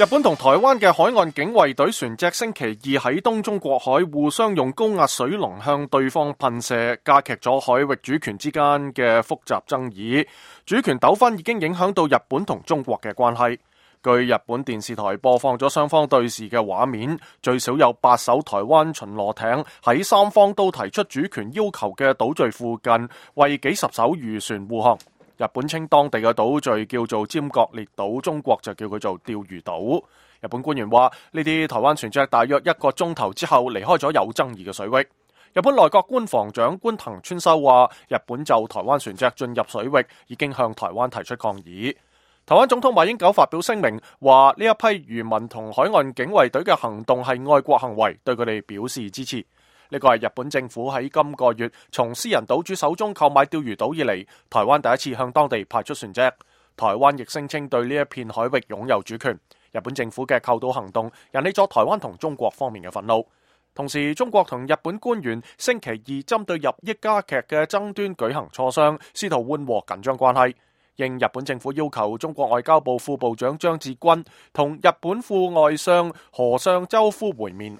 日本同台灣嘅海岸警衛隊船隻星期二喺東中國海互相用高壓水龍向對方噴射，加劇咗海域主權之間嘅複雜爭議。主權糾紛已經影響到日本同中國嘅關係。據日本電視台播放咗雙方對峙嘅畫面，最少有8艘台灣巡邏艇喺三方都提出主權要求嘅島嶼附近，為幾十艘漁船護航。日本稱當地嘅島嶼叫做尖閣列島，中國就叫佢做釣魚島。日本官員話，呢啲台灣船隻大約1個鐘頭之後離開咗有爭議嘅水域。日本內閣官房長官藤村修話，日本就台灣船隻進入水域已經向台灣提出抗議。台灣總統馬英九發表聲明，話呢一批漁民同海岸警衛隊嘅行動係愛國行為，對佢哋表示支持。呢個係日本政府喺今個月從私人島主手中購買釣魚島以嚟，台灣第一次向當地派出船隻。台灣亦聲稱對呢一片海域擁有主權。日本政府嘅購島行動引起咗台灣同中國方面嘅憤怒。同時，中國同日本官員星期二針對日益加劇嘅爭端舉行磋商，試圖緩和緊張關係。應日本政府要求，中國外交部副部長張志軍同日本副外相河相周夫會面。